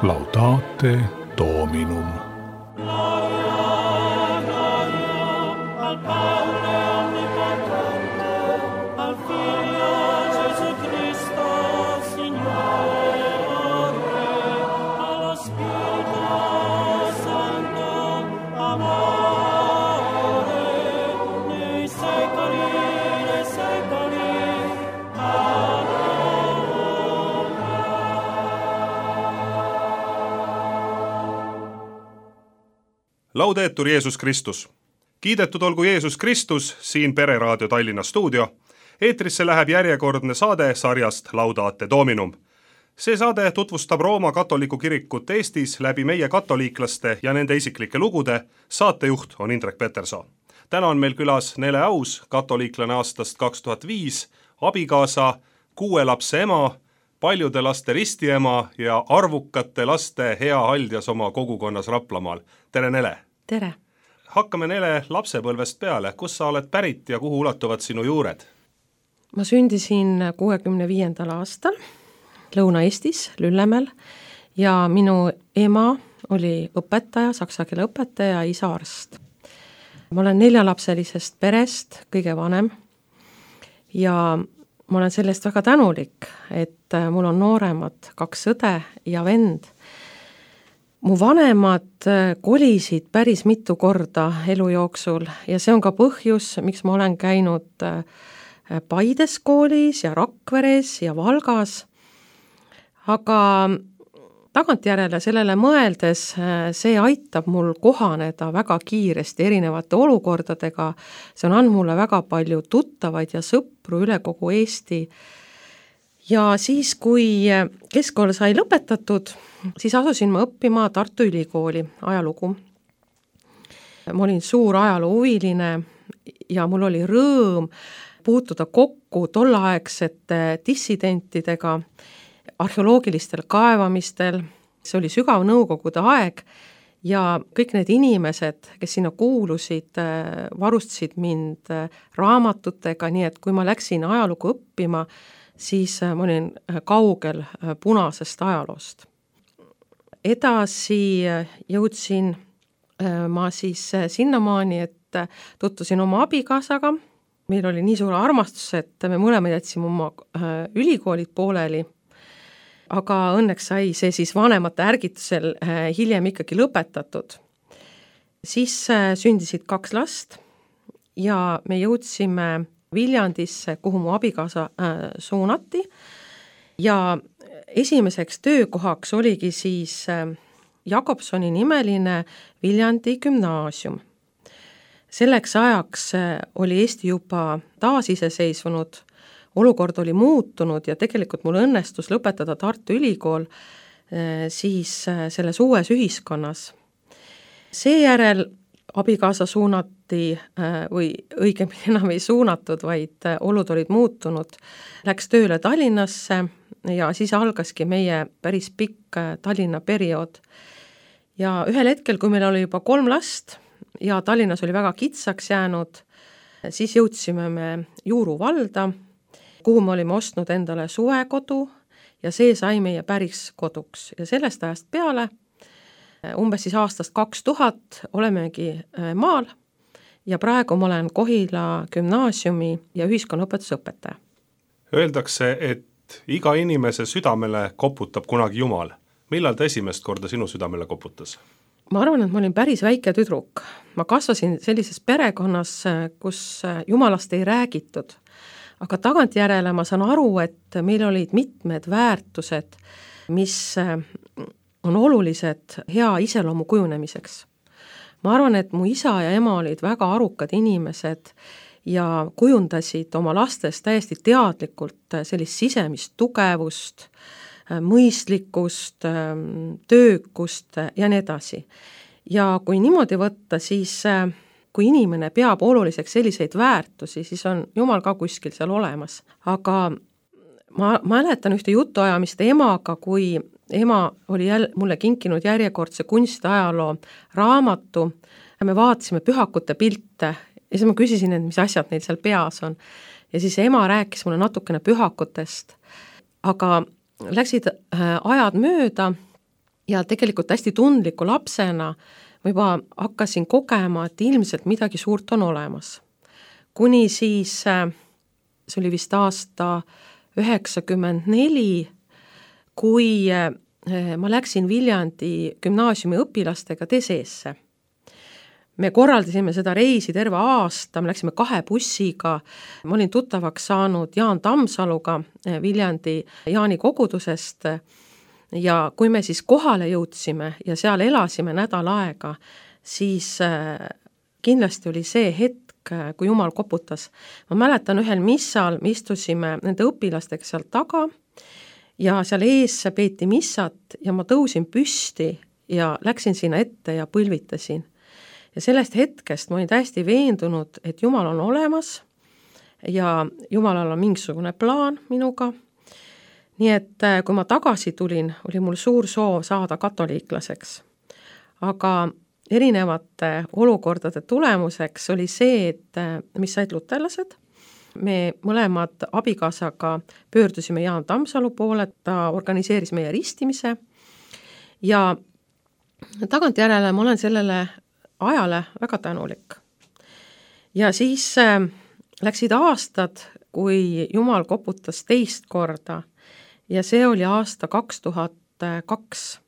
Laudate Dominum. Laudetur Jeesus Kristus. Kiidetud olgu Jeesus Kristus, siin Pereraadio Tallinna stuudio. Eetrisse läheb järjekordne saade sarjast Laudate Dominum. See saade tutvustab Rooma katoliku kirikut Eestis läbi meie katoliiklaste ja nende isiklike lugude. Saatejuht on Indrek Peterson. Täna on meil külas Nele Aus, katoliiklane aastast 2005, abikaasa, 6 lapse ema, paljude laste ristiema ja arvukate laste hea haldjas oma kogukonnas Raplamaal. Tere, Nele! Tere! Hakkame, Nele, lapsepõlvest peale. Kus sa oled pärit ja kuhu ulatuvad sinu juured? Ma sündisin 65. aastal Lõuna-Eestis, Lüllemäel ja minu ema oli õpetaja, saksa keele õpetaja, isa arst. Ma olen 4-lapselisest perest kõige vanem ja ma olen sellest väga tänulik, et mul on nooremad 2 õde ja vend. Mu vanemad kolisid päris mitu korda elu jooksul ja see on ka põhjus, miks ma olen käinud Paides koolis ja Rakveres ja Valgas. Aga tagantjärele sellele mõeldes see aitab mul kohaneda väga kiiresti erinevate olukordadega. See on andnud mulle väga palju tuttavaid ja sõpru üle kogu Eesti. Ja siis, kui keskkool sai lõpetatud, siis asusin ma õppima Tartu Ülikooli ajalugu. Ma olin suur ajaloohuviline ja mul oli rõõm puutuda kokku tolleaegsete dissidentidega, arheoloogilistel kaevamistel. See oli sügav nõukogude aeg ja kõik need inimesed, kes sinna kuulusid, varustasid mind raamatutega, nii et kui ma läksin ajalugu õppima, siis ma olin kaugel punasest ajaloost. Edasi jõudsin ma siis sinnamaani, et tutvusin oma abikaasaga. Meil oli nii suur armastus, et me mõlemad jätsime oma ülikoolid pooleli. Aga õnneks sai see siis vanemate ärgitusel hiljem ikkagi lõpetatud. Siis sündisid 2 last ja me jõudsime Viljandisse, kuhu mu abikaasa suunati ja esimeseks töökohaks oligi siis Jakobsoni nimeline Viljandi gümnaasium. Selleks ajaks oli Eesti juba taasiseseisvunud, olukord oli muutunud ja tegelikult mul õnnestus lõpetada Tartu Ülikool siis selles uues ühiskonnas. Seejärel abikaasa suunati või õigemini enam ei suunatud, vaid olud olid muutunud. Läks tööle Tallinnasse ja siis algaski meie päris pikk Tallinna periood. Ja ühel hetkel, kui meil oli juba 3 last ja Tallinnas oli väga kitsaks jäänud, siis jõudsime me Juuru valda, kuhu me olime ostnud endale suvekodu ja see sai meie päris koduks. Ja sellest ajast peale, umbes siis aastast 2000, olemegi maal ja praegu ma olen Kohila gümnaasiumi ja ühiskonnaõpetuse õpetaja. Öeldakse, et iga inimese südamele koputab kunagi Jumal. Millal ta esimest korda sinu südamele koputas? Ma arvan, et ma olin päris väike tüdruk. Ma kasvasin sellises perekonnas, kus Jumalast ei räägitud. Aga tagantjärele ma saan aru, et meil olid mitmed väärtused, mis on olulised hea iseloomu kujunemiseks. Ma arvan, et mu isa ja ema olid väga arukad inimesed ja kujundasid oma lastes täiesti teadlikult sellist sisemist tugevust, mõistlikkust, töökust ja nii edasi. Ja kui niimoodi võtta, siis kui inimene peab oluliseks selliseid väärtusi, siis on Jumal ka kuskil seal olemas. Aga ma mäletan ühte jutuajamist emaga, kui ema oli mulle kinkinud järjekordse kunstiajaloo raamatu ja me vaatasime pühakute pilte ja siis ma küsisin, et mis asjad neil seal peas on. Ja siis ema rääkis mulle natukene pühakutest, aga läksid ajad mööda ja tegelikult hästi tundliku lapsena ma juba hakkasin kogema, et ilmselt midagi suurt on olemas. Kuni siis, see oli vist aasta 1994, kui ma läksin Viljandi gümnaasiumi õpilastega Deseesse. Me korraldasime seda reisi terve aasta, me läksime 2 bussiga, ma olin tuttavaks saanud Jaan Tammsaluga Viljandi Jaani kogudusest ja kui me siis kohale jõudsime ja seal elasime nädal aega, siis kindlasti oli see hetk, kui Jumal koputas. Ma mäletan ühel missal, me istusime nende õpilastega seal taga ja seal ees peeti missat ja ma tõusin püsti ja läksin sinna ette ja põlvitasin. Ja sellest hetkest ma olin täiesti veendunud, et Jumal on olemas ja Jumalal on mingisugune plaan minuga. Nii et kui ma tagasi tulin, oli mul suur soov saada katoliiklaseks. Aga erinevate olukordade tulemuseks oli see, et mis said luterlased. Me mõlemad abikaasaga pöördusime Jaan Tammsalu poole, ta organiseeris meie ristimise ja tagantjärele ma olen sellele ajale väga tänulik. Ja siis läksid aastad, kui Jumal koputas teist korda ja see oli aasta 2002.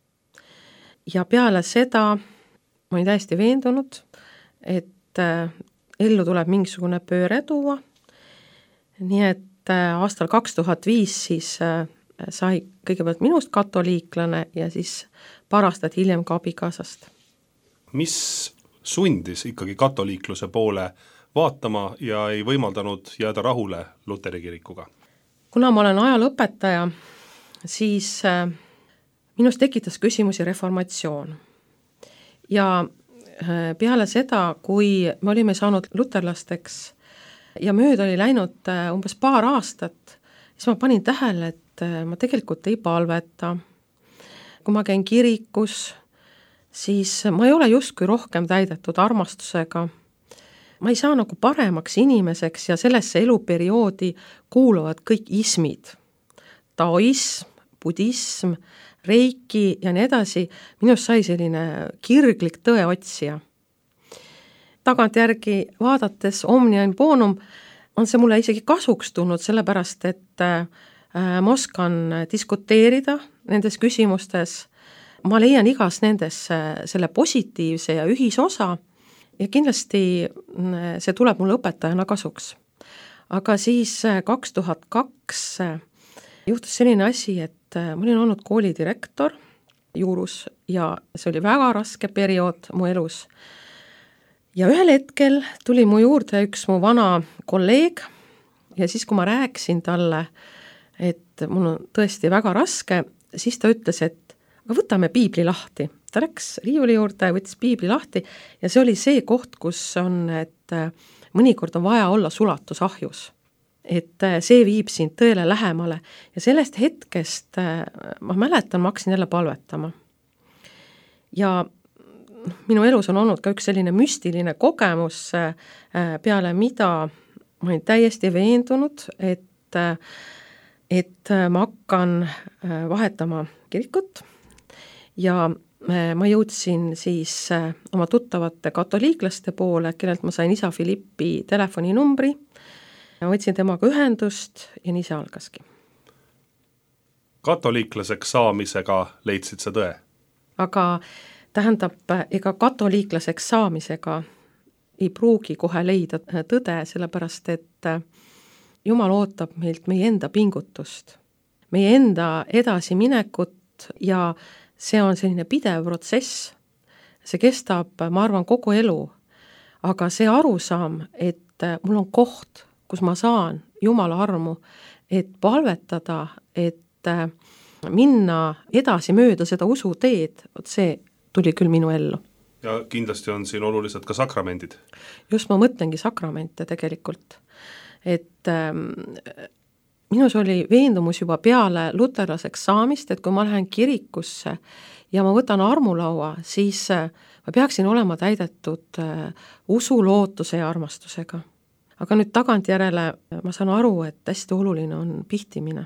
Ja peale seda ma olin täiesti veendunud, et ellu tuleb mingisugune pööre tuua. Nii et aastal 2005 siis sai kõigepealt minust katoliiklane ja siis paar aastat hiljem ka abikaasast. Mis sundis ikkagi katoliikluse poole vaatama ja ei võimaldanud jääda rahule Luteri kirikuga? Kuna ma olen ajalõpetaja, siis minust tekitas küsimusi reformatsioon. Ja peale seda, kui me olime saanud luterlasteks ja mööda oli läinud umbes paar aastat, siis ma panin tähele, et ma tegelikult ei palveta. Kui ma käin kirikus, siis ma ei ole justkui rohkem täidetud armastusega. Ma ei saa nagu paremaks inimeseks ja sellesse eluperioodi kuuluvad kõik ismid. Taoism, budism, reiki ja nii edasi. Minust sai selline kirglik tõeotsija. Tagantjärgi vaadates omnia in bonum on see mulle isegi kasuks tulnud, sellepärast et ma oskan diskuteerida nendes küsimustes. Ma leian igas nendes selle positiivse ja ühisosa ja kindlasti see tuleb mulle õpetajana kasuks. Aga siis 2002 juhtus selline asi, et ma olin olnud koolidirektor juurus ja see oli väga raske periood mu elus. Ja ühel hetkel tuli mu juurde üks mu vana kolleeg ja siis, kui ma rääkisin talle, et mul on tõesti väga raske, siis ta ütles, et aga võtame piibli lahti. Ta läks riiuli juurde, võttis piibli lahti ja see oli see koht, kus on, et mõnikord on vaja olla sulatusahjus. Et see viib sind tõele lähemale ja sellest hetkest ma mäletan, ma hakkasin jälle palvetama. Ja minu elus on olnud ka üks selline müstiline kogemus, peale mida ma olin täiesti veendunud, et ma hakkan vahetama kirikut ja ma jõudsin siis oma tuttavate katoliiklaste poole, kellelt ma sain isa Filippi telefoninumbri, võtsin temaga ühendust ja nii see algaski. Katoliiklaseks saamisega leidsid sa tõe? Aga tähendab, ega katoliiklaseks saamisega ei pruugi kohe leida tõde, sellepärast et Jumal ootab meilt meie enda pingutust, meie enda edasiminekut ja see on selline pidev protsess. See kestab, ma arvan, kogu elu, aga see arusaam, et mul on koht, kus ma saan Jumala armu, et palvetada, et minna edasi mööda seda usuteed, see tuli küll minu ellu. Ja kindlasti on siin olulised ka sakramendid. Just ma mõtlengi sakramente tegelikult, et minus oli veendumus juba peale luterlaseks saamist, et kui ma lähen kirikusse ja ma võtan armulaua, siis ma peaksin olema täidetud usu, lootuse ja armastusega. Aga nüüd tagantjärele ma saan aru, et hästi oluline on pihtimine.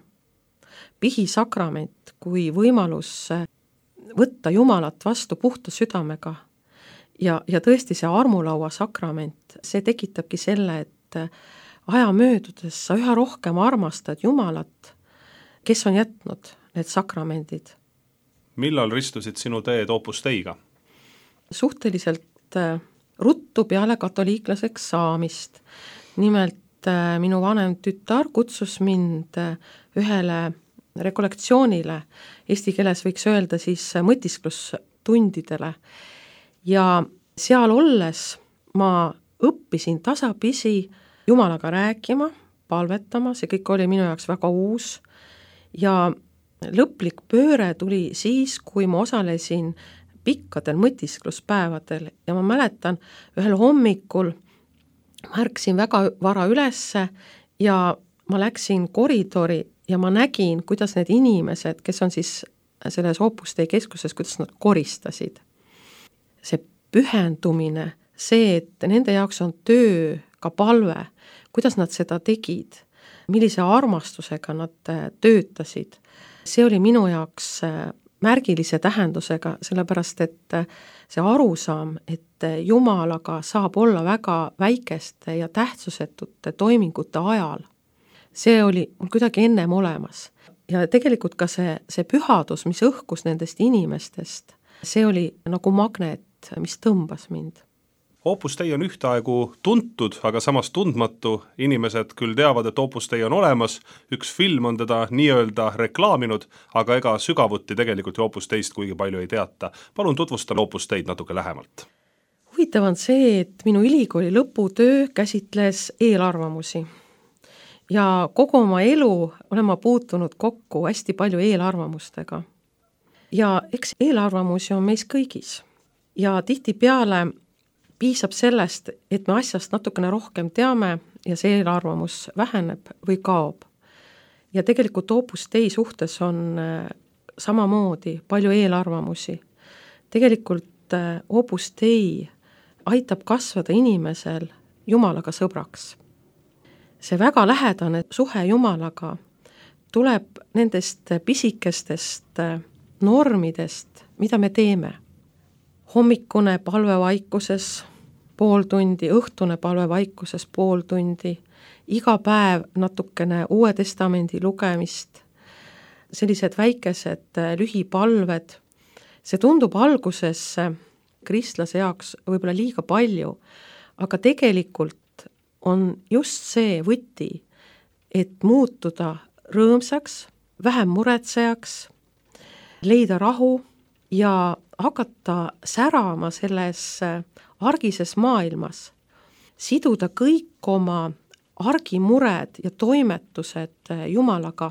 Pihisakrament kui võimalus võtta Jumalat vastu puhta südamega ja tõesti see armulaua sakrament, see tekitabki selle, et aja möödudes sa üha rohkem armastad Jumalat, kes on jätnud need sakramendid. Millal ristusid sinu teed Opus Deiga? Suhteliselt ruttu peale katoliiklaseks saamist. Nimelt minu vanem tütar kutsus mind ühele rekollektsioonile, eesti keeles võiks öelda siis mõtisklustundidele. Ja seal olles ma õppisin tasapisi Jumalaga rääkima, palvetama, see kõik oli minu jaoks väga uus ja lõplik pööre tuli siis, kui ma osalesin pikkadel mõtiskluspäevadel ja ma mäletan, ühel hommikul ma ärkasin väga vara ülesse ja ma läksin koridori ja ma nägin, kuidas need inimesed, kes on siis selles Opus Dei keskuses, kuidas nad koristasid. See pühendumine, see, et nende jaoks on töö, ka palve, kuidas nad seda tegid, millise armastusega nad töötasid, see oli minu jaoks märgilise tähendusega, sellepärast et see arusaam, et Jumalaga saab olla väga väikeste ja tähtsusetute toimingute ajal, see oli mul kuidagi ennem olemas. Ja tegelikult ka see pühadus, mis õhkus nendest inimestest, see oli nagu magnet, mis tõmbas mind. Opus Dei on ühtaegu tuntud, aga samas tundmatu. Inimesed küll teavad, et Opus Dei on olemas, üks film on teda nii-öelda reklaaminud, aga ega sügavuti tegelikult Opus Deist kuigi palju ei teata. Palun tutvustan Opus Deid natuke lähemalt. Huvitav on see, et minu ülikooli lõputöö käsitles eelarvamusi. Ja kogu oma elu olen ma puutunud kokku hästi palju eelarvamustega. Ja eks eelarvamusi on meis kõigis. Ja tihtipeale piisab sellest, et me asjast natukene rohkem teame ja see eelarvamus väheneb või kaob. Ja tegelikult Opus Dei suhtes on samamoodi palju eelarvamusi. Tegelikult Opus Dei aitab kasvada inimesel Jumalaga sõbraks. See väga lähedane suhe Jumalaga tuleb nendest pisikestest normidest, mida me teeme. Hommikune palvevaikuses pool tundi, õhtune palvevaikuses pool tundi, iga päev natukene Uue Testamendi lugemist, sellised väikesed lühipalved. See tundub alguses kristlase jaoks võib-olla liiga palju, aga tegelikult on just see võti, et muutuda rõõmsaks, vähem muretsejaks, leida rahu ja hakata särama selles argises maailmas, siduda kõik oma argimured ja toimetused Jumalaga,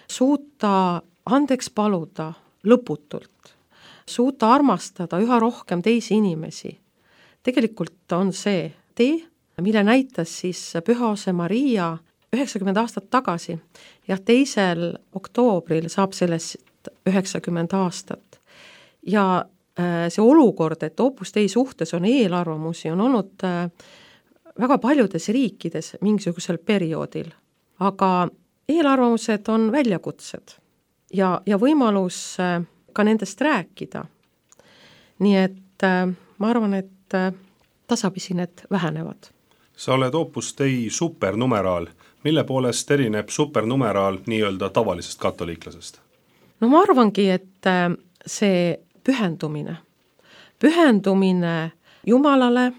suuta andeks paluda lõputult, suuta armastada üha rohkem teisi inimesi. Tegelikult on see tee, mille näitas siis Pühaose Maria 90 aastat tagasi ja 2. oktoobril saab sellest 90 aastat. Ja see olukord, et Opus Dei suhtes on eelarvamusi, on olnud väga paljudes riikides mingisugusel perioodil. Aga eelarvamused on väljakutsed ja võimalus ka nendest rääkida. Nii et ma arvan, et tasapisi need vähenevad. Sa oled Opus Dei supernumeraal. Mille poolest erineb supernumeraal nii-öelda tavalisest katoliiklasest? No ma arvangi, et see pühendumine Jumalale,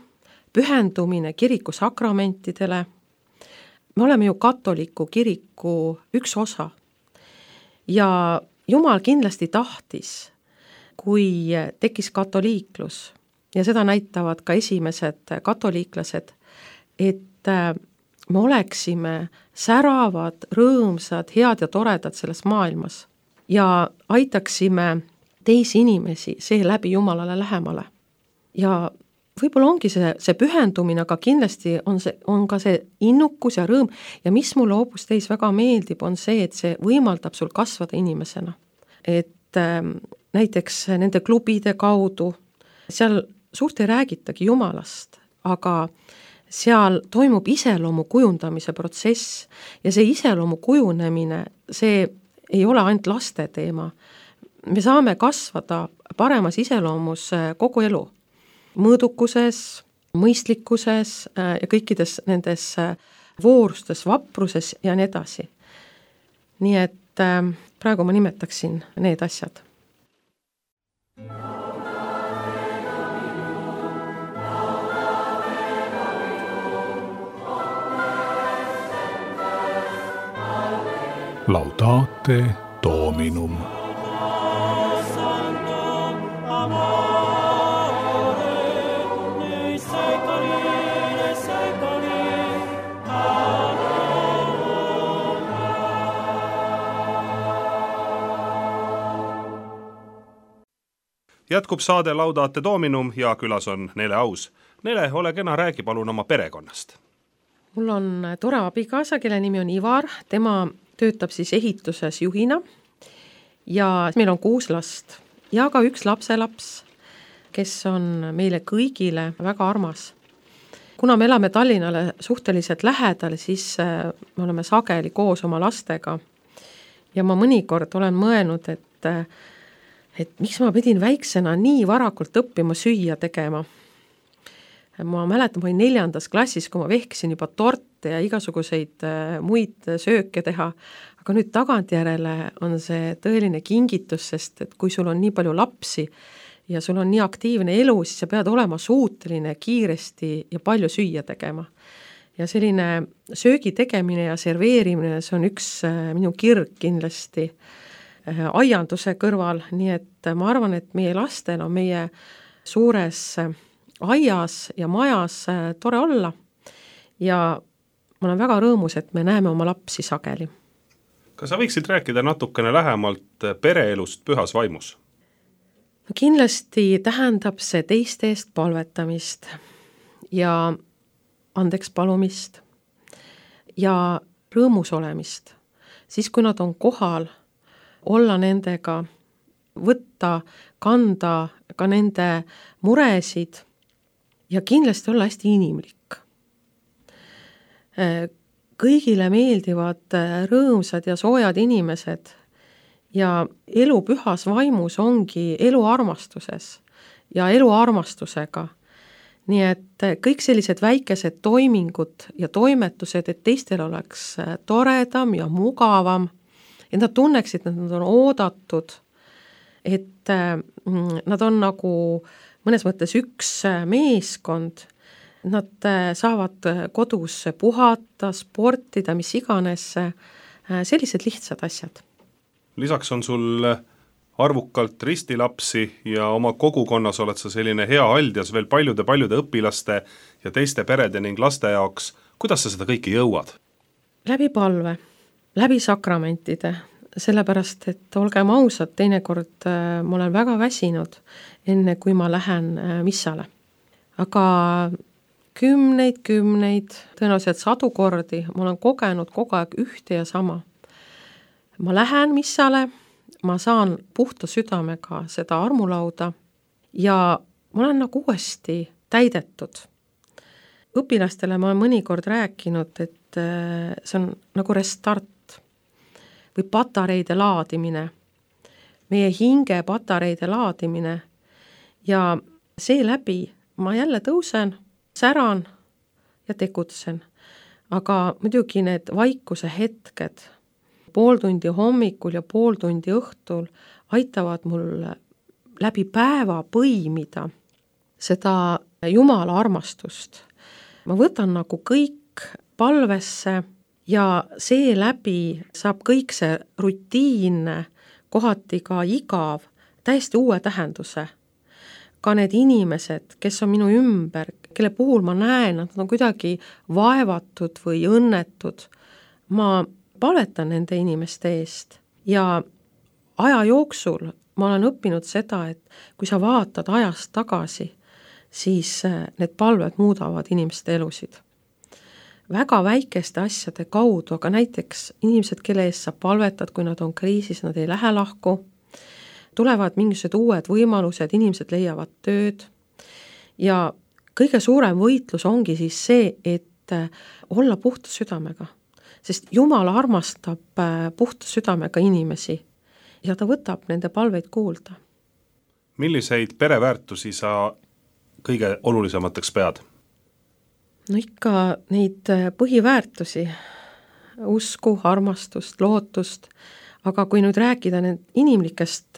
pühendumine kiriku sakramentidele, me oleme ju katoliku kiriku üks osa. Ja Jumal kindlasti tahtis, kui tekkis katoliiklus, ja seda näitavad ka esimesed katoliiklased, et me oleksime säravad, rõõmsad, head ja toredad selles maailmas ja aitaksime teisi inimesi seeläbi Jumalale lähemale. Ja võib-olla ongi see pühendumine, aga kindlasti on ka see innukus ja rõõm ja mis mulle Opus Deis väga meeldib, on see, et see võimaldab sul kasvada inimesena. Et näiteks nende klubide kaudu, seal suurt ei räägitagi Jumalast, aga seal toimub iseloomu kujundamise protsess ja see iseloomu kujunemine, see ei ole ainult laste teema. me saame kasvada paremas iseloomus kogu elu, mõõdukuses, mõistlikkuses ja kõikides nendes voorustes, vapruses ja nii edasi. Nii et praegu ma nimetaksin need asjad. Laudate Dominum. Jätkub saade Laudate Dominum ja külas on Nele Aus. Nele, ole kena, räägi palun oma perekonnast. Mul on tore abikaasa, kelle nimi on Ivar, tema töötab siis ehituses juhina ja meil on 6 last ja ka 1 lapselaps, kes on meile kõigile väga armas. Kuna me elame Tallinnale suhteliselt lähedal, siis me oleme sageli koos oma lastega ja ma mõnikord olen mõelnud, et miks ma pidin väiksena nii varakult õppima süüa tegema. Ma mäletan, ma olin 4. klassis, kui ma vehkisin juba torte ja igasuguseid muid sööke teha, aga nüüd tagantjärele on see tõeline kingitus, sest et kui sul on nii palju lapsi ja sul on nii aktiivne elu, siis sa pead olema suuteline kiiresti ja palju süüa tegema. Ja selline söögi tegemine ja serveerimine, see on üks minu kirg kindlasti aianduse kõrval, nii et ma arvan, et meie lastel on meie suures aias ja majas tore olla ja ma olen väga rõõmus, et me näeme oma lapsi sageli. Kas sa võiksid rääkida natukene lähemalt pereelust pühas vaimus? Kindlasti tähendab see teiste eest palvetamist ja andeks palumist ja rõõmus olemist. Siis, kui nad on kohal, olla nendega, võtta, kanda ka nende muresid ja kindlasti olla hästi inimlik. Kõigile meeldivad rõõmsad ja soojad inimesed ja elu pühas vaimus ongi elu armastuses ja elu armastusega. Nii et kõik sellised väikesed toimingud ja toimetused, et teistel oleks toredam ja mugavam, et nad tunneksid, et nad on oodatud, et nad on nagu mõnes mõttes üks meeskond, nad saavad kodus puhata, sportida, mis iganes, sellised lihtsad asjad. Lisaks on sul arvukalt ristilapsi ja oma kogukonnas oled sa selline hea haldjas veel paljude õpilaste ja teiste perede ning laste jaoks. Kuidas sa seda kõike jõuad? Läbi palve, läbi sakramentide, sellepärast, et olgem ausad, teinekord ma olen väga väsinud, enne kui ma lähen missale. Aga kümneid, tõenäoliselt 100 kordi ma olen kogenud kogu aeg ühte ja sama. Ma lähen missale, ma saan puhta südamega seda armulauda ja ma olen nagu uuesti täidetud. Õpilastele ma olen mõnikord rääkinud, et see on nagu restart või patareide laadimine, meie hinge patareide laadimine ja seeläbi ma jälle tõusen, säran ja tegutsen. Aga muidugi need vaikuse hetked, pool tundi hommikul ja pool tundi õhtul aitavad mul läbi päeva põimida seda Jumala armastust. Ma võtan nagu kõik palvesse ja seeläbi saab kõik see rutiinne, kohati ka igav, täiesti uue tähenduse. Ka need inimesed, kes on minu ümber, kelle puhul ma näen, nad on kuidagi vaevatud või õnnetud, ma palvetan nende inimeste eest ja aja jooksul ma olen õppinud seda, et kui sa vaatad ajast tagasi, siis need palved muudavad inimeste elusid. Väga väikeste asjade kaudu, aga näiteks inimesed, kelle eest sa palvetad, kui nad on kriisis, nad ei lähe lahku, tulevad mingisugused uued võimalused, inimesed leiavad tööd ja kõige suurem võitlus ongi siis see, et olla puhta südamega. Sest Jumal armastab puhta südamega inimesi ja ta võtab nende palveid kuulda. Milliseid pereväärtusi sa kõige olulisemateks pead? No ikka neid põhiväärtusi, usku, armastust, lootust, aga kui nüüd rääkida need inimlikest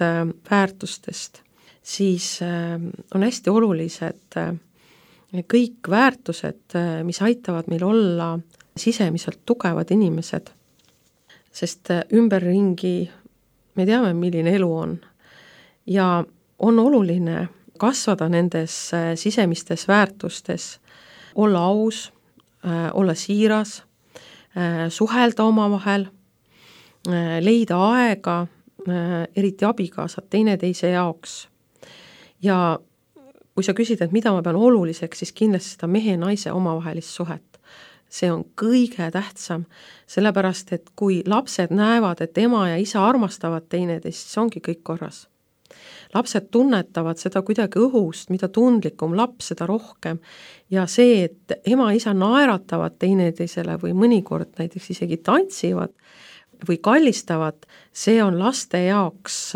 väärtustest, siis on hästi olulised kõik väärtused, mis aitavad meil olla sisemiselt tugevad inimesed. Sest ümberringi me teame, milline elu on. Ja on oluline kasvada nendes sisemistes väärtustes, olla aus, olla siiras, suhelda omavahel, leida aega, eriti abikaasad teineteise jaoks. Ja kui sa küsid, et mida ma pean oluliseks, siis kindlasti seda mehe-naise omavahelist suhet. See on kõige tähtsam, sellepärast, et kui lapsed näevad, et ema ja isa armastavad teineteist, siis ongi kõik korras. Lapsed tunnetavad seda kuidagi õhust, mida tundlikum laps, seda rohkem. Ja see, et ema ja isa naeratavad teineteisele või mõnikord näiteks isegi tantsivad või kallistavad, see on laste jaoks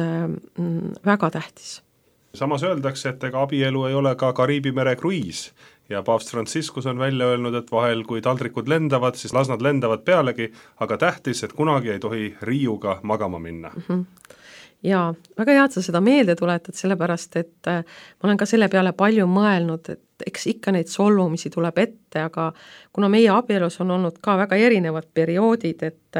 väga tähtis. Samas öeldakse, et ega abielu ei ole ka Kariibi mere kruiis ja paavst Franciscus on välja öelnud, et vahel kui taldrikud lendavad, siis las nad lendavad pealegi, aga tähtis, et kunagi ei tohi riiuga magama minna. Ja väga hea, et sa seda meelde tuletad, sellepärast, et ma olen ka selle peale palju mõelnud, et eks ikka neid solvumisi tuleb ette, aga kuna meie abielus on olnud ka väga erinevad perioodid, et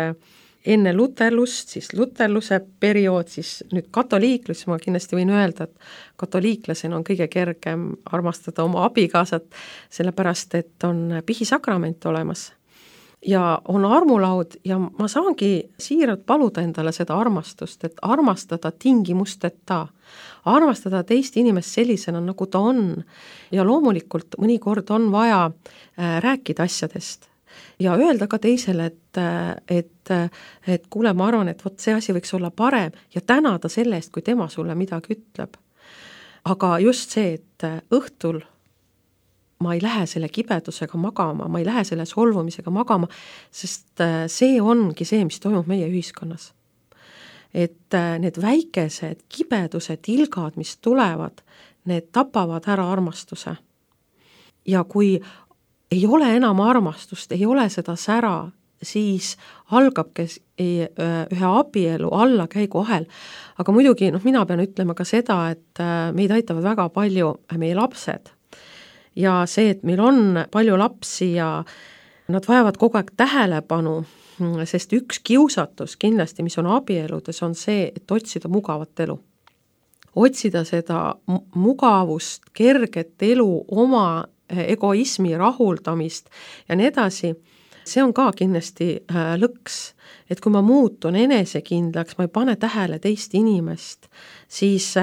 enne luterlust, siis luterluse periood, siis nüüd katoliiklus, ma kindlasti võin öelda, et katoliiklasena on kõige kergem armastada oma abikaasat, sellepärast, et on pihisakrament olemas. Ja on armulaud ja ma saangi siiralt paluda endale seda armastust, et armastada tingimusteta, armastada teist inimest sellisena, nagu ta on. Ja loomulikult mõnikord on vaja rääkida asjadest ja öelda ka teisele, et kuule, ma arvan, et see asi võiks olla parem ja tänada selle eest, kui tema sulle midagi ütleb. Aga just see, et õhtul ma ei lähe selle kibedusega magama, ma ei lähe selle solvumisega magama, sest see ongi see, mis toimub meie ühiskonnas. Et need väikesed kibedused, ilgad, mis tulevad, need tapavad ära armastuse. Ja kui ei ole enam armastust, ei ole seda sära, siis algabki ühe abielu allakäigu ahel. Aga muidugi mina pean ütlema ka seda, et meid aitavad väga palju meie lapsed. Ja see, et meil on palju lapsi ja nad vajavad kogu aeg tähelepanu, sest üks kiusatus kindlasti, mis on abieludes, on see, et otsida mugavat elu. Otsida seda mugavust, kerget elu, oma egoismi rahuldamist ja nii edasi, see on ka kindlasti lõks. Et kui ma muutun enesekindlaks, ma ei pane tähele teist inimest, siis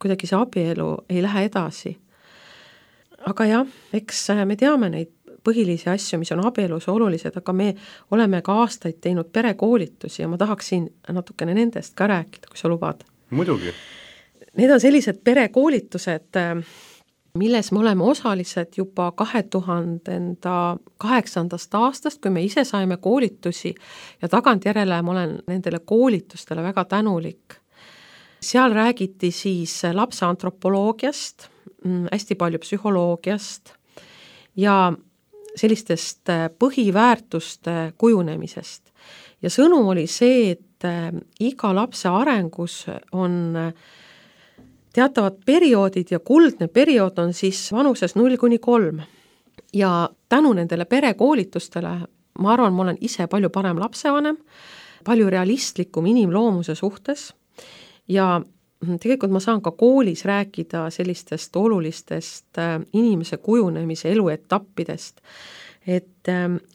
kuidagi see abielu ei lähe edasi. Aga jah, eks me teame neid põhilisi asju, mis on abielus olulised, aga me oleme ka aastaid teinud perekoolitusi ja ma tahaksin natukene nendest ka rääkida, kui sa lubad. Muidugi. Need on sellised perekoolitused, milles me oleme osalised juba 2008. aastast, kui me ise saime koolitusi ja tagantjärele ma olen nendele koolitustele väga tänulik. Seal räägiti siis lapse antropoloogiast, hästi palju psühholoogiast ja sellistest põhiväärtuste kujunemisest. Ja sõnum oli see, et iga lapse arengus on teatavad perioodid ja kuldne periood on siis vanuses 0–3. Ja tänu nendele perekoolitustele, ma arvan, ma olen ise palju parem lapsevanem, palju realistlikum inimloomuse suhtes ja tegelikult ma saan ka koolis rääkida sellistest olulistest inimese kujunemise eluetappidest. Et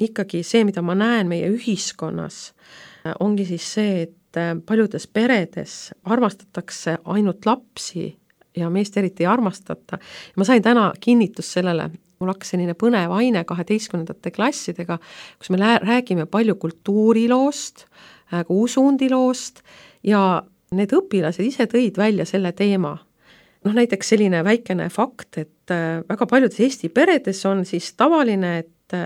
ikkagi see, mida ma näen meie ühiskonnas, ongi siis see, et paljudes peredes armastatakse ainult lapsi ja meest eriti ei armastata. Ma sain täna kinnitust sellele, mul hakkas selline põnev aine 12. klassidega, kus me räägime palju kultuuriloost, usundiloost ja need õpilased ise tõid välja selle teema. Näiteks selline väikene fakt, et väga paljudes Eesti peredes on siis tavaline, et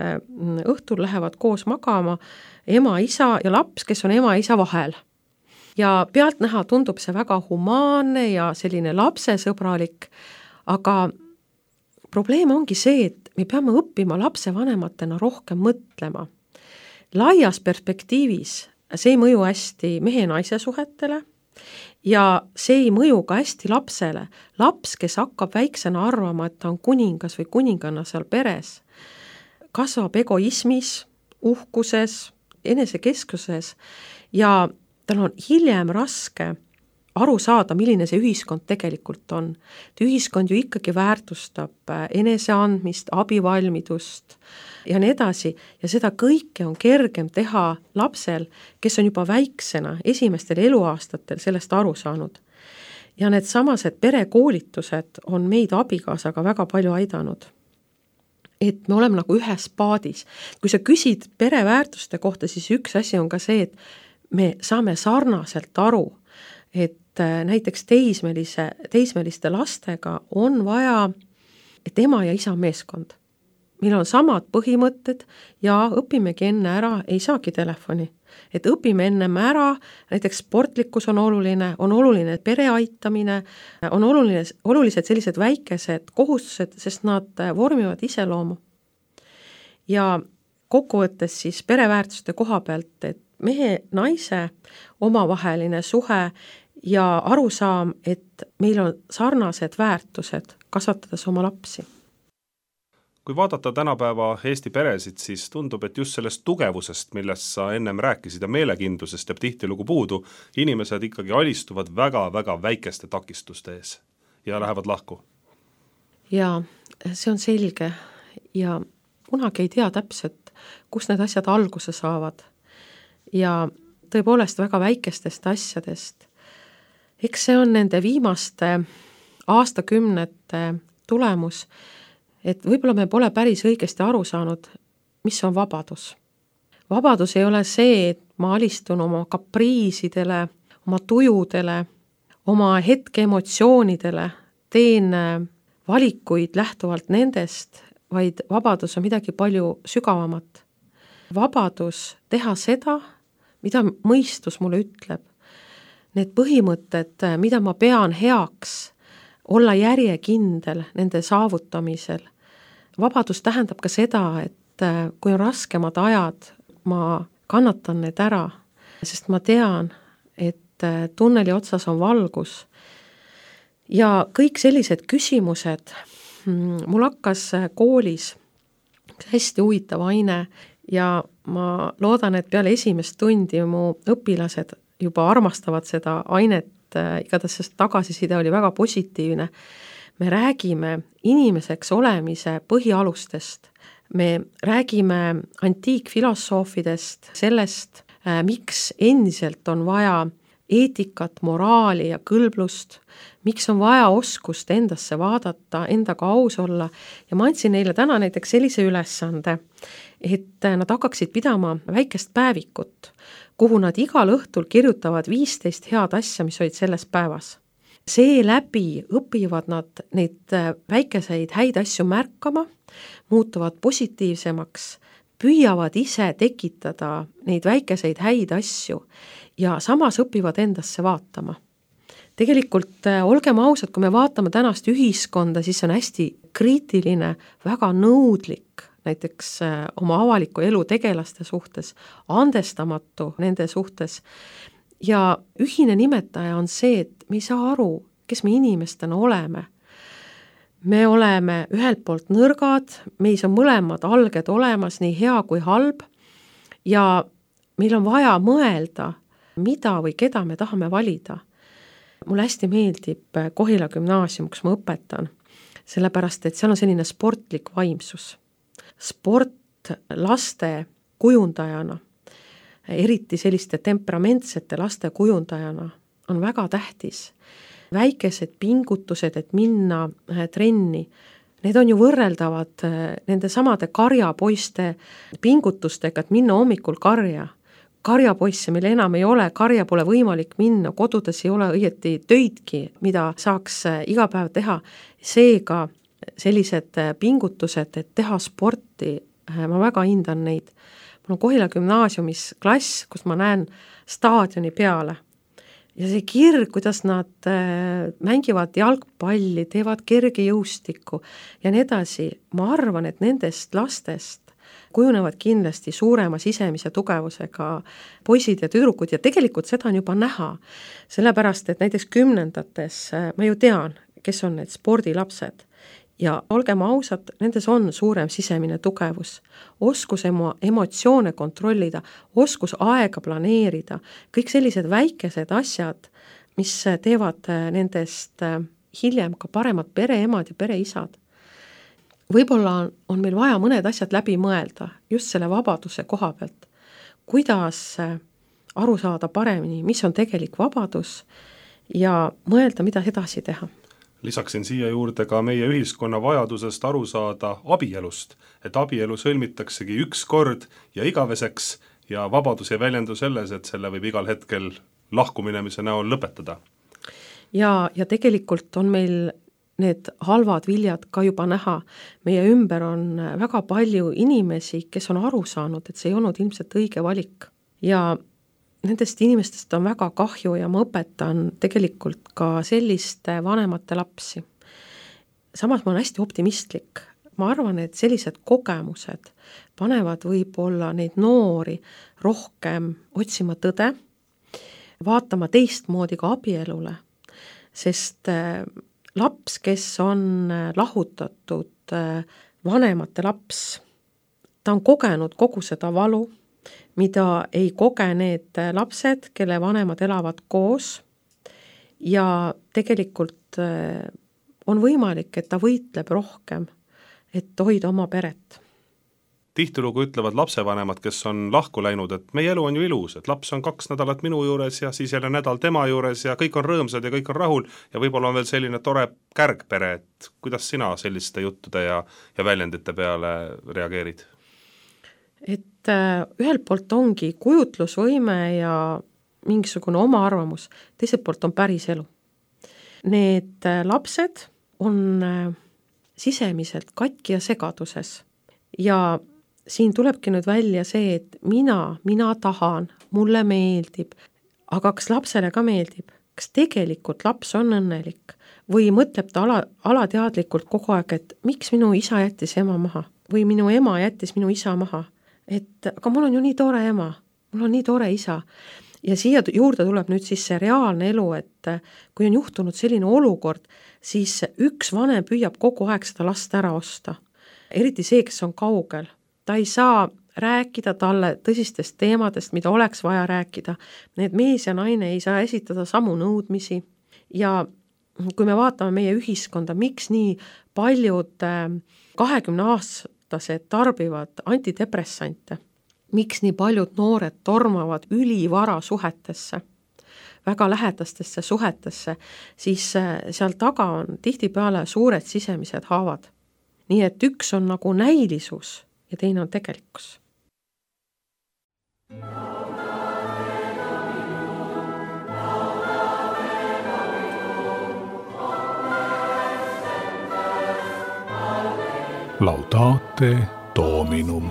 õhtul lähevad koos magama ema, isa ja laps, kes on ema ja isa vahel. ja pealtnäha tundub see väga humaanne ja selline lapsesõbralik, aga probleem ongi see, et me peame õppima lapsevanematena rohkem mõtlema. Laias perspektiivis see ei mõju hästi mehe-naise suhetele ja see ei mõju ka hästi lapsele. Laps, kes hakkab väiksena arvama, et ta on kuningas või kuninganna seal peres, kasvab egoismis, uhkuses, enesekeskuses ja tal on hiljem raske aru saada, milline see ühiskond tegelikult on. Ühiskond ju ikkagi väärtustab eneseandmist, abivalmidust ja nii edasi ja seda kõike on kergem teha lapsel, kes on juba väiksena esimestel eluaastatel sellest aru saanud. Ja need samased perekoolitused on meid abikaasaga väga palju aidanud. Et me oleme nagu ühes paadis. Kui sa küsid pereväärtuste kohta, siis üks asi on ka see, et me saame sarnaselt aru, et näiteks teismeliste lastega on vaja, et ema ja isa meeskond. Meil on samad põhimõtted ja õpimegi enne ära, ei saagi telefoni. Et õpime ennem ära, näiteks sportlikkus on oluline pere aitamine, on olulised sellised väikesed kohustused, sest nad vormivad iseloomu. Ja kokkuvõttes siis pereväärtuste koha pealt, et mehe-naise omavaheline suhe ja arusaam, et meil on sarnased väärtused kasvatades oma lapsi. Kui vaadata tänapäeva Eesti peresid, siis tundub, et just sellest tugevusest, millest sa ennem rääkisid ja meelekindlusest jääb tihtilugu puudu, inimesed ikkagi alistuvad väga-väga väikeste takistuste ees ja lähevad lahku. Ja see on selge ja kunagi ei tea täpselt, kus need asjad alguse saavad. Ja tõepoolest väga väikestest asjadest. Eks see on nende viimaste aastakümnete tulemus, et võib-olla me pole päris õigesti aru saanud, mis on vabadus. Vabadus ei ole see, et ma alistun oma kapriisidele, oma tujudele, oma hetke emotsioonidele, teen valikuid lähtuvalt nendest, vaid vabadus on midagi palju sügavamat. Vabadus teha seda, mida mõistus mulle ütleb. Need põhimõtted, mida ma pean heaks, olla järjekindel nende saavutamisel. Vabadus tähendab ka seda, et kui on raskemad ajad, ma kannatan need ära, sest ma tean, et tunneli otsas on valgus. Ja kõik sellised küsimused, mul hakkas koolis hästi huvitav aine ja ma loodan, et peale esimest tundi mu õpilased juba armastavad seda ainet, igatahes sest tagasiside oli väga positiivne. Me räägime inimeseks olemise põhialustest. Me räägime antiikfilosoofidest, sellest, miks endiselt on vaja eetikat, moraali ja kõlblust, miks on vaja oskust endasse vaadata, endaga aus olla. Ja ma andsin neile täna näiteks sellise ülesande, et nad hakkaksid pidama väikest päevikut, kuhu nad igal õhtul kirjutavad 15 head asja, mis olid selles päevas. Seeläbi õpivad nad neid väikeseid häid asju märkama, muutuvad positiivsemaks, püüavad ise tekitada neid väikeseid häid asju ja samas õpivad endasse vaatama. Tegelikult olgem ausad, kui me vaatame tänast ühiskonda, siis on hästi kriitiline, väga nõudlik, näiteks oma avaliku elu tegelaste suhtes, andestamatu nende suhtes. Ja ühine nimetaja on see, et me ei saa aru, kes me inimestena oleme. Me oleme ühelt poolt nõrgad, meis on mõlemad alged olemas, nii hea kui halb, ja meil on vaja mõelda, mida või keda me tahame valida. Mulle hästi meeldib Kohila gümnaasium, kus ma õpetan, sellepärast, et seal on selline sportlik vaimsus. Sport laste kujundajana, eriti selliste temperamentsete laste kujundajana, on väga tähtis. Väikesed pingutused, et minna trenni, need on ju võrreldavad nende samade karjapoiste pingutustega, et minna hommikul karja. Karjapoisse meil enam ei ole, karja pole võimalik minna, kodudes ei ole õieti töidki, mida saaks iga päev teha. Seega sellised pingutused, et teha sporti, ma väga hindan neid. Mul on Kohila gümnaasiumis klass, kus ma näen staadioni peale ja see kirg, kuidas nad mängivad jalgpalli, teevad kergejõustikku ja nii edasi, ma arvan, et nendest lastest kujunevad kindlasti suurema sisemise tugevusega poisid ja tüdrukud ja tegelikult seda on juba näha, sellepärast et näiteks 10-ndates ma ju tean, kes on need spordilapsed ja olgem ausad, nendes on suurem sisemine tugevus, oskus emotsioone kontrollida, oskus aega planeerida, kõik sellised väikesed asjad, mis teevad nendest hiljem ka paremad pereemad ja pereisad. Võib-olla on meil vaja mõned asjad läbi mõelda just selle vabaduse koha pealt, kuidas aru saada paremini, mis on tegelik vabadus ja mõelda, mida edasi teha. Lisaksin siia juurde ka meie ühiskonna vajadusest aru saada abielust, et abielu sõlmitaksegi üks kord ja igaveseks ja vabadus ei väljendu selles, et selle võib igal hetkel lahkuminemise näol lõpetada. Ja tegelikult on meil need halvad viljad ka juba näha. Meie ümber on väga palju inimesi, kes on aru saanud, et see ei olnud ilmselt õige valik. Ja nendest inimestest on väga kahju ja ma õpetan tegelikult ka selliste vanemate lapsi. Samas ma olen hästi optimistlik. Ma arvan, et sellised kogemused panevad võib-olla neid noori rohkem otsima tõde, vaatama teistmoodi ka abielule, sest laps, kes on lahutatud vanemate laps, ta on kogenud kogu seda valu, mida ei koge need lapsed, kelle vanemad elavad koos ja tegelikult on võimalik, et ta võitleb rohkem, et hoida oma peret. Tihtilugu ütlevad lapsevanemad, kes on lahku läinud, et meie elu on ju ilus, et laps on 2 nädalat minu juures ja siis jälle nädal tema juures ja kõik on rõõmsad ja kõik on rahul ja võib-olla on veel selline tore kärgpere, et kuidas sina selliste juttude ja väljendite peale reageerid? Et ühelt poolt ongi kujutlusvõime ja mingisugune oma arvamus, teiselt poolt on päris elu. Need lapsed on sisemiselt katki ja segaduses ja siin tulebki nüüd välja see, et mina tahan, mulle meeldib, aga kas lapsele ka meeldib? Kas tegelikult laps on õnnelik? Või mõtleb ta alateadlikult kogu aeg, et miks minu isa jättis ema maha? Või minu ema jättis minu isa maha? Et aga mul on ju nii tore ema, mul on nii tore isa. Ja siia juurde tuleb nüüd siis see reaalne elu, et kui on juhtunud selline olukord, siis üks vanem püüab kogu aeg seda last ära osta. Eriti see, kes on kaugel. Ta ei saa rääkida talle tõsistest teemadest, mida oleks vaja rääkida. Need mees ja naine ei saa esitada samu nõudmisi. Ja kui me vaatame meie ühiskonda, miks nii paljud 20-aastased tarbivad antidepressante, miks nii paljud noored tormavad ülivara suhetesse, väga lähedastesse suhetesse, siis seal taga on tihtipeale suured sisemised haavad. Nii et üks on nagu näilisus ja teine on tegelikkus. Laudate Dominum.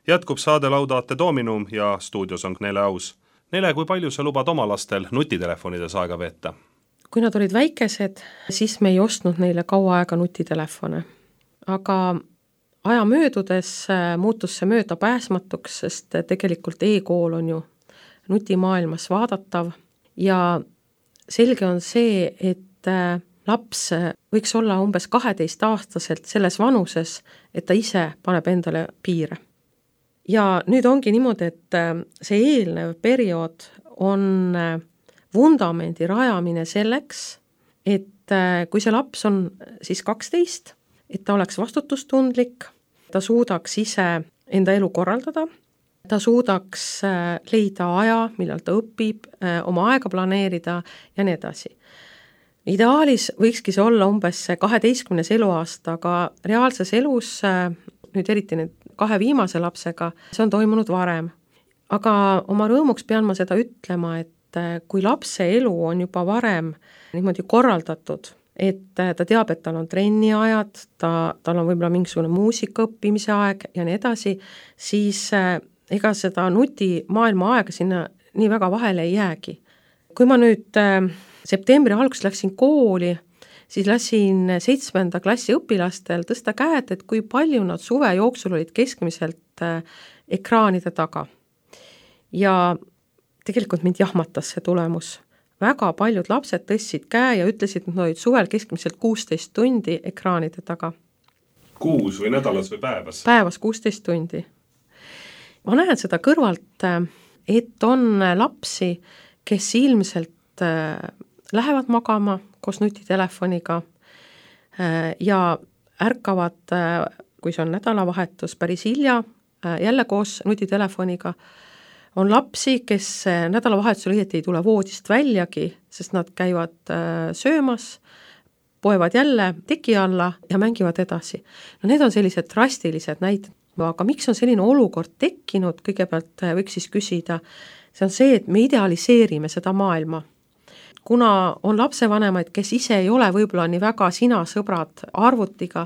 Jätkub saade Laudate Dominum ja stuudios on Nele Aus. Nele, kui palju sa lubad oma lastel nutitelefonides aega veeta? Kui nad olid väikesed, siis me ei ostnud neile kaua aega nutitelefone. Aga aja möödudes muutus see möödapääsmatuks, sest tegelikult e-kool on ju nutimaailmas vaadatav ja selge on see, et laps võiks olla umbes 12-aastaselt selles vanuses, et ta ise paneb endale piire. Ja nüüd ongi niimoodi, et see eelnev periood on vundamendi rajamine selleks, et kui see laps on siis 12, et ta oleks vastutustundlik, ta suudaks ise enda elu korraldada, ta suudaks leida aja, millal ta õpib, oma aega planeerida ja nii edasi. Ideaalis võikski see olla umbes 12. eluaasta, aga reaalses elus, nüüd eriti need 2 viimase lapsega, see on toimunud varem. aga oma rõõmuks pean ma seda ütlema, et kui lapse elu on juba varem niimoodi korraldatud, et ta teab, et tal on trenniajad, tal on võib-olla mingisugune muusika õppimise aeg ja nii edasi, siis ega seda nutimaailma aega sinna nii väga vahele ei jäägi. Kui ma nüüd septembri alguses läksin kooli, siis lasin 7. klassi õpilastel tõsta käed, et kui palju nad suve jooksul olid keskmiselt ekraanide taga. Ja tegelikult mind jahmatas see tulemus. Väga paljud lapsed tõstsid käe ja ütlesid, et nad olid suvel keskmiselt 16 tundi ekraanide taga. Kuus või nädalas või päevas? Päevas 16 tundi. Ma näen seda kõrvalt, et on lapsi, kes ilmselt lähevad magama koos nutitelefoniga ja ärkavad, kui see on nädalavahetus, päris hilja, jälle koos nutitelefoniga. On lapsi, kes nädalavahetusel õieti ei tule voodist väljagi, sest nad käivad söömas, poevad jälle teki alla ja mängivad edasi. No need on sellised drastilised näited, aga miks on selline olukord tekkinud, kõigepealt võiks siis küsida, see on see, et me idealiseerime seda maailma. Kuna on lapsevanemaid, kes ise ei ole võib-olla nii väga sina sõbrad arvutiga,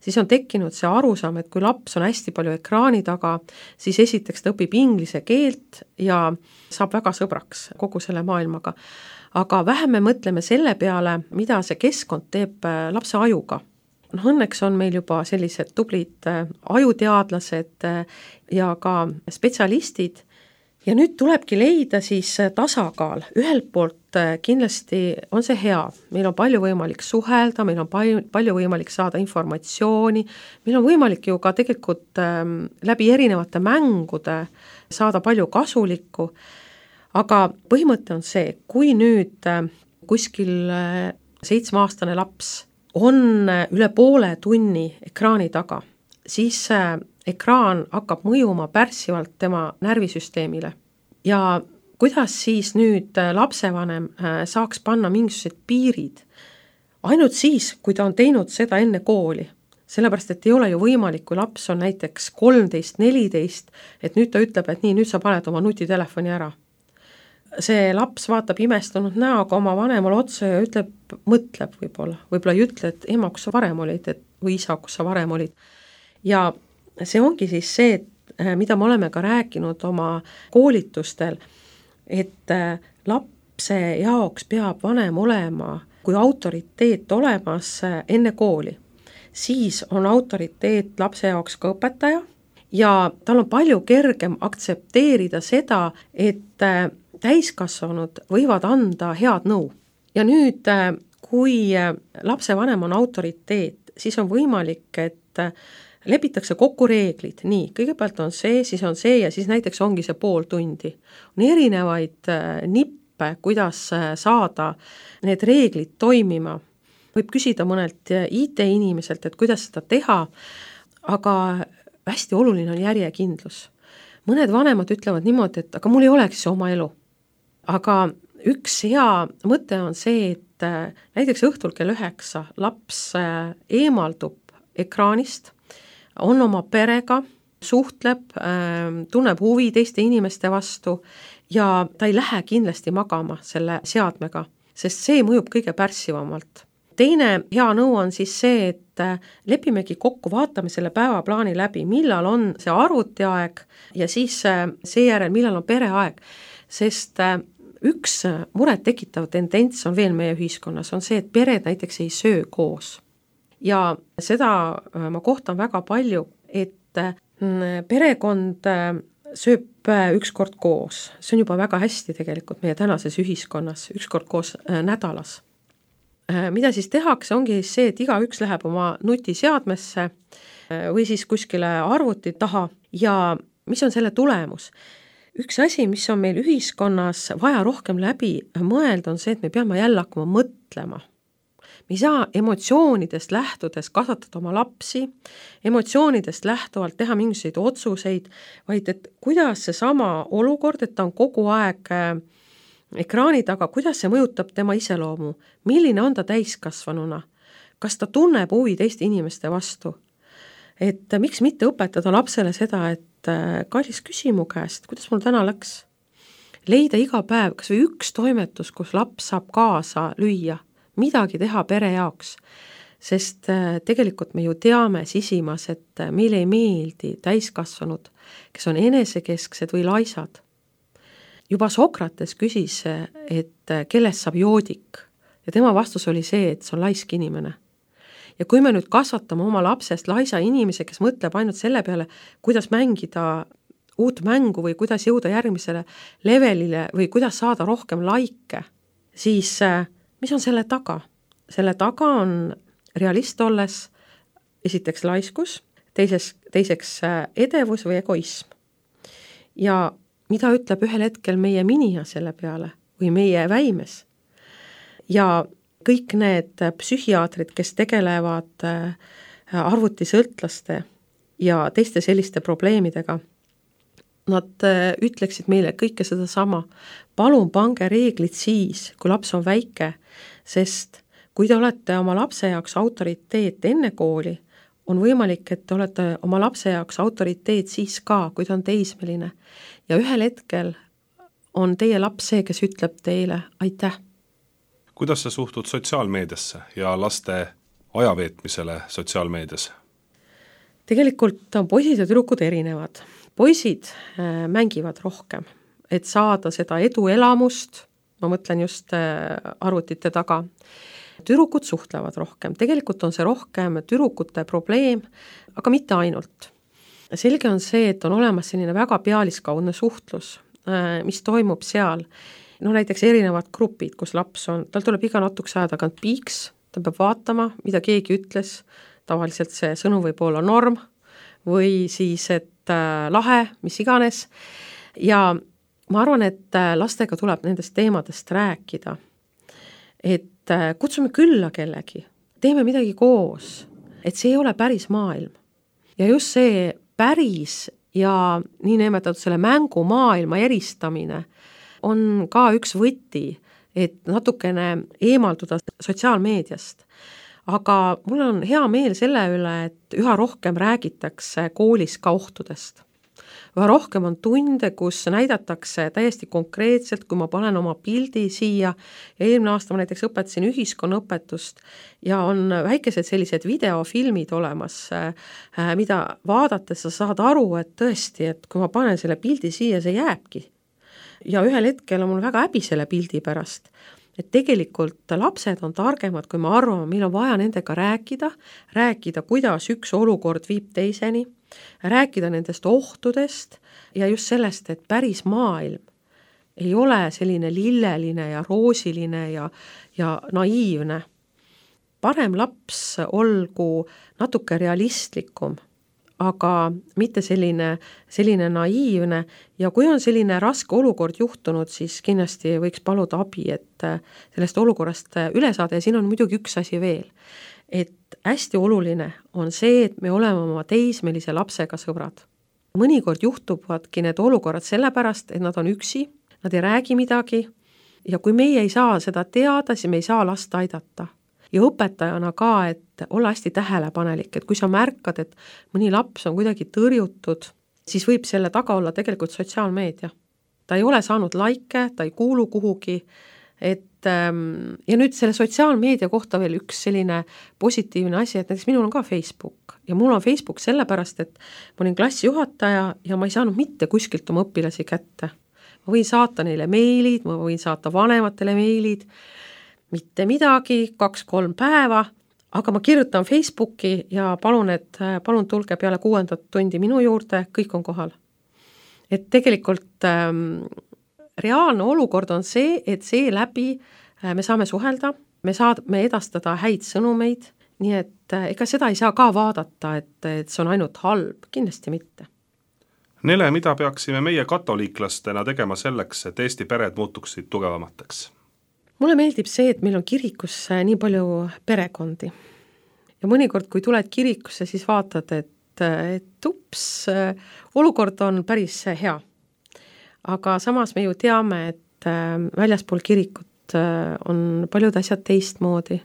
siis on tekkinud see arusaam, et kui laps on hästi palju ekraani taga, siis esiteks ta õpib inglise keelt ja saab väga sõbraks kogu selle maailmaga. Aga vähem me mõtleme selle peale, mida see keskkond teeb lapse ajuga. Õnneks on meil juba sellised tublid ajuteadlased ja ka spetsialistid. Ja nüüd tulebki leida siis tasakaal. Ühelt poolt kindlasti on see hea. Meil on palju võimalik suhelda, meil on palju võimalik saada informatsiooni, meil on võimalik ju ka tegelikult läbi erinevate mängude saada palju kasulikku, aga põhimõte on see, kui nüüd kuskil 7-aastane laps on üle poole tunni ekraani taga, siis ekraan hakkab mõjuma pärssivalt tema närvisüsteemile. Ja kuidas siis nüüd lapsevanem saaks panna mingisugused piirid? Ainult siis, kui ta on teinud seda enne kooli. Sellepärast, et ei ole ju võimalik, kui laps on näiteks 13-14, et nüüd ta ütleb, et nii, nüüd sa paned oma nutitelefoni ära. See laps vaatab imestunud näoga oma vanemale otsa ja ütleb, mõtleb võib-olla ei ütle, et ema, kus sa varem olid, või isa, kus sa varem olid. Ja see ongi siis see, mida me oleme ka rääkinud oma koolitustel, et lapse jaoks peab vanem olema kui autoriteet olemas enne kooli. Siis on autoriteet lapse jaoks ka õpetaja ja tal on palju kergem aktsepteerida seda, et täiskasvanud võivad anda head nõu. Ja nüüd, kui lapsevanem on autoriteet, siis on võimalik, et lepitakse kokku reeglid, nii, kõigepealt on see, siis on see ja siis näiteks ongi see pool tundi. On erinevaid nippe, kuidas saada need reeglid toimima. Võib küsida mõnelt IT-inimeselt, et kuidas seda teha, aga hästi oluline on järjekindlus. Mõned vanemad ütlevad niimoodi, et aga mul ei oleks oma elu. Aga üks hea mõte on see, et näiteks õhtul kell 9 laps eemaldub ekraanist, on oma perega, suhtleb, tunneb huvi teiste inimeste vastu ja ta ei lähe kindlasti magama selle seadmega, sest see mõjub kõige pärssivamalt. Teine hea nõu on siis see, et lepimegi kokku, vaatame selle päevaplaani läbi, millal on see arvutiaeg ja siis seejärel, millal on pereaeg, sest üks muret tekitav tendents on veel meie ühiskonnas, on see, et pered näiteks ei söö koos. Ja seda ma kohtan väga palju, et perekond sööb ükskord koos. See on juba väga hästi tegelikult meie tänases ühiskonnas, ükskord koos nädalas. Mida siis tehakse, ongi see, et igaüks läheb oma nutiseadmesse või siis kuskile arvuti taha ja mis on selle tulemus? Üks asi, mis on meil ühiskonnas vaja rohkem läbi mõelda, on see, et me peame jälle hakkama mõtlema. Me ei saa emotsioonidest lähtudes kasvatada oma lapsi, emotsioonidest lähtuvalt teha mingisuguseid otsuseid, vaid et kuidas see sama olukord, et ta on kogu aeg ekraani taga, kuidas see mõjutab tema iseloomu, milline on ta täiskasvanuna, kas ta tunneb huvi teiste inimeste vastu, et miks mitte õpetada lapsele seda, et kallis, küsi mu käest, kuidas mul täna läks. Leida iga päev kas või üks toimetus, kus laps saab kaasa lüüa, midagi teha pere jaoks. Sest tegelikult me ju teame sisimas, et meile ei meeldi täiskasvanud, kes on enesekesksed või laisad. Juba Sokrates küsis, et kellest saab joodik ja tema vastus oli see, et see on laisk inimene. Ja kui me nüüd kasvatame oma lapsest laisa inimese, kes mõtleb ainult selle peale, kuidas mängida uut mängu või kuidas jõuda järgmisele levelile või kuidas saada rohkem laike, siis mis on selle taga? Selle taga on realist olles esiteks laiskus, teiseks edevus või egoism. Ja mida ütleb ühel hetkel meie minija selle peale või meie väimes? Ja kõik need psühhiaatrid, kes tegelevad arvutisõltlaste ja teiste selliste probleemidega, nad ütleksid meile kõike seda sama. Palun pange reeglid siis, kui laps on väike, sest kui te olete oma lapse jaoks autoriteet enne kooli, on võimalik, et te olete oma lapse jaoks autoriteet siis ka, kui ta on teismeline. Ja ühel hetkel on teie laps see, kes ütleb teile aitäh. Kuidas sa suhtud sotsiaalmeediasse ja laste ajaveetmisele sotsiaalmeedias? Tegelikult on poisid ja tüdrukud erinevad. Poisid mängivad rohkem, et saada seda eduelamust, ma mõtlen just arvutite taga. Tüdrukud suhtlevad rohkem, tegelikult on see rohkem tüdrukute probleem, aga mitte ainult. Selge on see, et on olemas selline väga pealiskaudne suhtlus, mis toimub seal. Näiteks erinevad grupid, kus laps on, tal tuleb iga natukese aja tagant piiks, ta peab vaatama, mida keegi ütles, tavaliselt see sõnum võib olla norm või siis, et lahe, mis iganes. Ja ma arvan, et lastega tuleb nendest teemadest rääkida, et kutsume külla kellegi, teeme midagi koos, et see ei ole päris maailm. Ja just see päris ja nii nimetatud selle mängu maailma eristamine on ka üks võti, et natukene eemalduda sotsiaalmeediast. Aga mul on hea meel selle üle, et üha rohkem räägitakse koolis ka ohtudest. Üha rohkem on tunde, kus näidatakse täiesti konkreetselt, kui ma panen oma pildi siia ja eelmine aasta ma näiteks õpetasin ühiskonnaõpetust ja on väikesed sellised videofilmid olemas, mida vaadates sa saad aru, et tõesti, et kui ma panen selle pildi siia, see jääbki. Ja ühel hetkel on mul väga häbi selle pildi pärast, et tegelikult lapsed on targemad, kui me arvame, meil on vaja nendega rääkida, kuidas üks olukord viib teiseni, rääkida nendest ohtudest ja just sellest, et päris maailm ei ole selline lilleline ja roosiline ja naiivne. Parem laps olgu natuke realistlikum, aga mitte selline naiivne ja kui on selline raske olukord juhtunud, siis kindlasti võiks paluda abi, et sellest olukorrast üle saada ja siin on muidugi üks asi veel, et hästi oluline on see, et me oleme oma teismelise lapsega sõbrad. Mõnikord juhtuvadki need olukorrad sellepärast, et nad on üksi, nad ei räägi midagi ja kui meie ei saa seda teada, siis me ei saa last aidata. Ja õpetajana ka, et olla hästi tähelepanelik, et kui sa märkad, et mõni laps on kuidagi tõrjutud, siis võib selle taga olla tegelikult sotsiaalmeedia. Ta ei ole saanud laike, ta ei kuulu kuhugi, ja nüüd selle sotsiaalmeedia kohta veel üks selline positiivne asi, et näiteks minul on ka Facebook ja mul on Facebook sellepärast, et ma olin klassijuhataja ja ma ei saanud mitte kuskilt oma õpilasi kätte. Ma võin saata neile meilid, ma võin saata vanematele meilid, mitte midagi, 2-3 päeva, aga ma kirjutan Facebooki ja palun tulge peale 6. tundi minu juurde, kõik on kohal. Et tegelikult reaalne olukord on see, et see läbi me saame suhelda, me saame edastada häid sõnumeid, nii et ega seda ei saa ka vaadata, et see on ainult halb, kindlasti mitte. Nele, mida peaksime meie katoliiklastena tegema selleks, et Eesti pered muutuksid tugevamateks? Mulle meeldib see, et meil on kirikus nii palju perekondi. Ja mõnikord, kui tuled kirikusse, siis vaatad, et ups, olukord on päris hea. Aga samas me ju teame, et väljaspool kirikut on paljud asjad teistmoodi.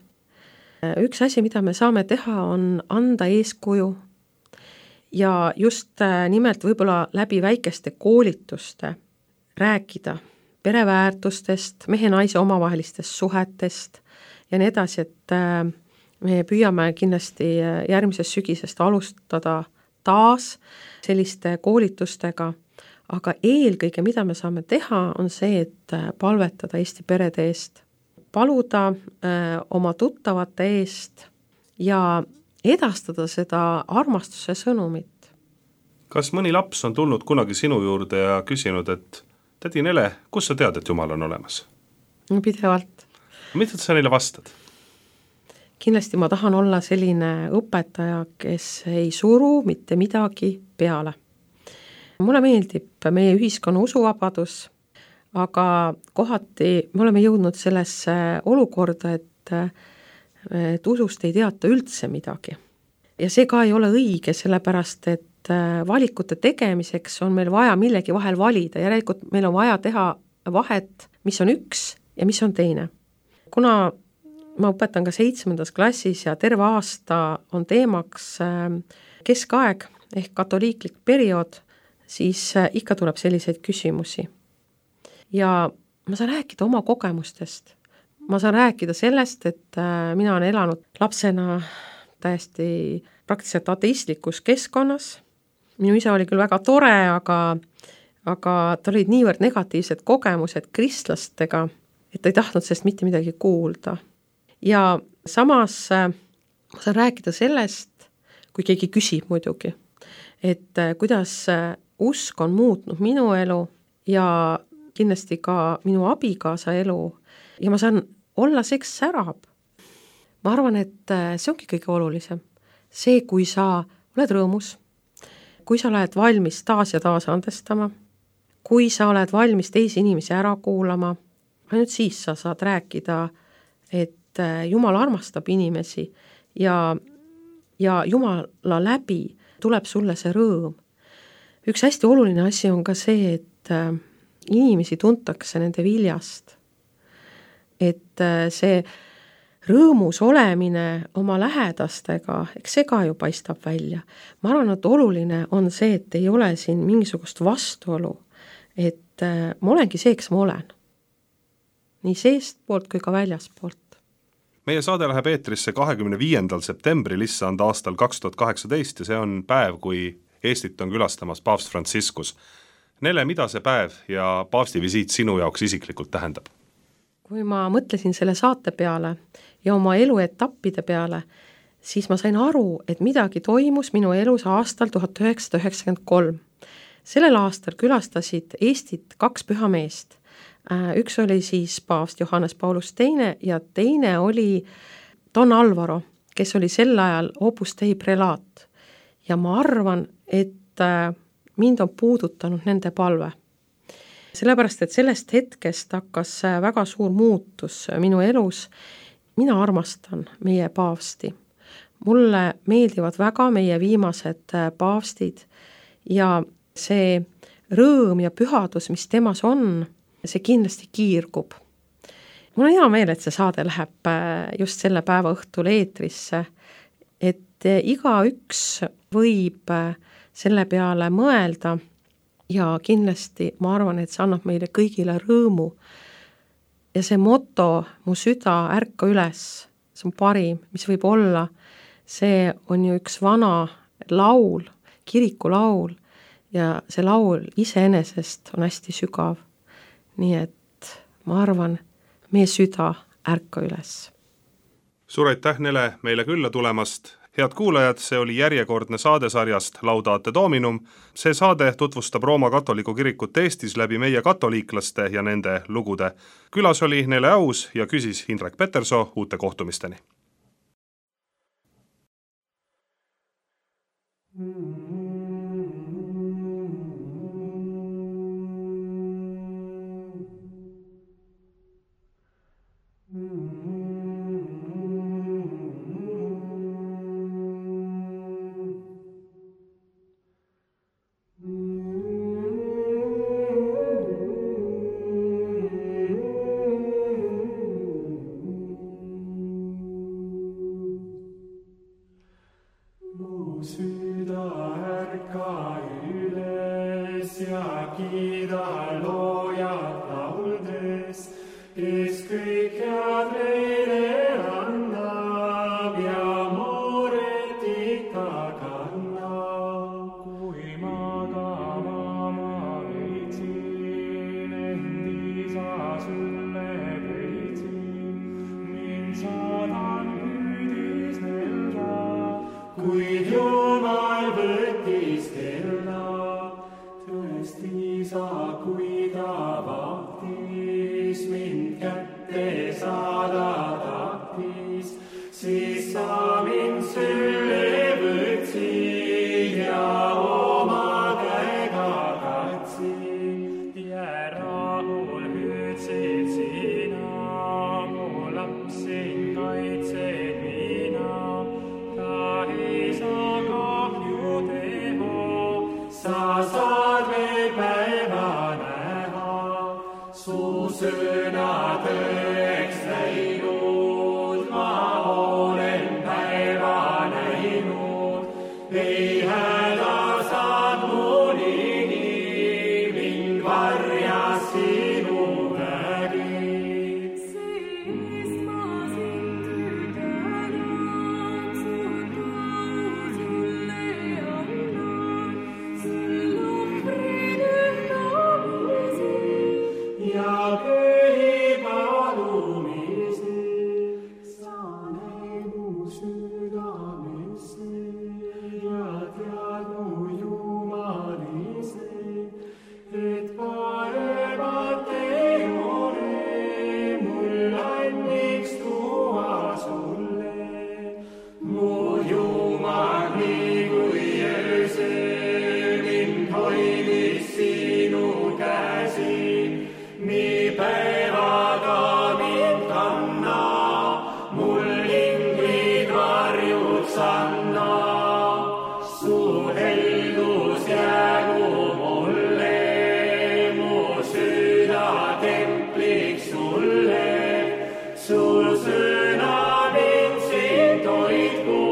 Üks asi, mida me saame teha, on anda eeskuju ja just nimelt võib-olla läbi väikeste koolituste rääkida pereväärtustest, mehe-naise omavahelistest suhetest ja nii edasi, et me püüame kindlasti järgmisest sügisest alustada taas selliste koolitustega, aga eelkõige, mida me saame teha, on see, et palvetada Eesti perede eest, paluda oma tuttavate eest ja edastada seda armastuse sõnumit. Kas mõni laps on tulnud kunagi sinu juurde ja küsinud, et tädi Nele, kus sa tead, et Jumal on olemas? Pidevalt. Mida sa neile vastad? Kindlasti ma tahan olla selline õpetaja, kes ei suru mitte midagi peale. Mulle meeldib meie ühiskonna usuvabadus, aga kohati me oleme jõudnud sellesse olukorda, et usust ei teata üldse midagi. Ja see ka ei ole õige, sellepärast et valikute tegemiseks on meil vaja millegi vahel valida, järelikult meil on vaja teha vahet, mis on üks ja mis on teine. Kuna ma õpetan ka 7. klassis ja terve aasta on teemaks keskaeg ehk katoliiklik periood, siis ikka tuleb selliseid küsimusi. Ja ma saan rääkida oma kogemustest. Ma saan rääkida sellest, et mina olen elanud lapsena täiesti praktiliselt ateistlikus keskkonnas. Minu isa oli küll väga tore, aga ta olid niivõrd negatiivsed kogemused kristlastega, et ta ei tahtnud sellest mitte midagi kuulda. Ja samas ma saan rääkida sellest, kui keegi küsib muidugi, et kuidas usk on muutnud minu elu ja kindlasti ka minu abikaasa elu ja ma saan olla see, kes särab. Ma arvan, et see ongi kõige olulisem. See, kui sa oled rõõmus, kui sa oled valmis taas ja taas andestama, kui sa oled valmis teisi inimesi ära kuulama, ainult siis sa saad rääkida, et Jumal armastab inimesi ja Jumala läbi tuleb sulle see rõõm. Üks hästi oluline asi on ka see, et inimesi tuntakse nende viljast. Et see rõõmus olemine oma lähedastega, eks see ka ju paistab välja. Ma arvan, et oluline on see, et ei ole siin mingisugust vastuolu, et ma olengi see, kes ma olen. Nii seest poolt kui ka väljast poolt. Meie saade läheb eetrisse 25. septembril issand aastal 2018 ja see on päev, kui Eestit on külastamas paavst Franciscus. Nele, mida see päev ja paavsti visiit sinu jaoks isiklikult tähendab? Kui ma mõtlesin selle saate peale ja oma eluetappide peale, siis ma sain aru, et midagi toimus minu elus aastal 1993. Sellel aastal külastasid Eestit 2 pühameest. Üks oli siis paavst Johannes Paulus II ja teine oli Don Alvaro, kes oli sel ajal Opus Dei prelaat. Ja ma arvan, et mind on puudutanud nende palve. Sellepärast, et sellest hetkest hakkas väga suur muutus minu elus. Mina armastan meie paavsti. Mulle meeldivad väga meie viimased paavstid ja see rõõm ja pühadus, mis temas on, see kindlasti kiirgub. Mul on hea meel, et see saade läheb just selle päeva õhtul eetrisse, et iga üks võib selle peale mõelda ja kindlasti ma arvan, et see annab meile kõigile rõõmu. Ja see moto, mu süda ärka üles, see on parim, mis võib olla, see on ju üks vana laul, kirikulaul ja see laul iseenesest on hästi sügav. Nii et ma arvan, meie süda ärka üles. Suur aitäh, Nele, meile külla tulemast. Head kuulajad, see oli järjekordne saadesarjast Laudate Dominum. See saade tutvustab Rooma katoliku kirikut Eestis läbi meie katoliiklaste ja nende lugude. Külas oli Nele Aus ja küsis Indrek Petersoo. Uute kohtumisteni. Süda eest isa, kui ta vahtis, mind kätte saada tahtis, siis sa mind sülle võtsid ja oma käega katsid ja rahul hüüdsid sina, mu lapsin kaitsed mina, ta ei saa kahju teha, sa saad veel päeva näha, su sõna tõeks läinud, ma olen päeva näinud, ei häda saad mu ligi, mind varjas sinu vägi. Siis ma sind tänan, su tänu sulle annan, sul ohvrid ühtamisi ja köhi palumisi, sa näed mu südamesse ja tead mu jumalise, et paremat ei ole mul anniks tuua sulle. Mu Jumal, nii kui öösel mind hoidis sinu käsi, nii päevaga mind kanna, mul inglid varjuks anna. Su heldus jäägu mulle, mu süda templiks sulle, su sõna mind sind hoidku,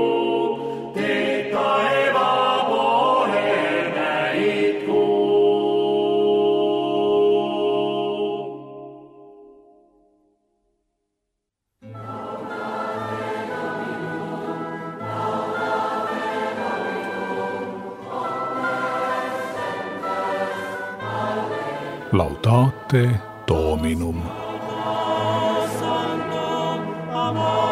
teed taeva poole näitku. Laudate Dominum. Santo amor.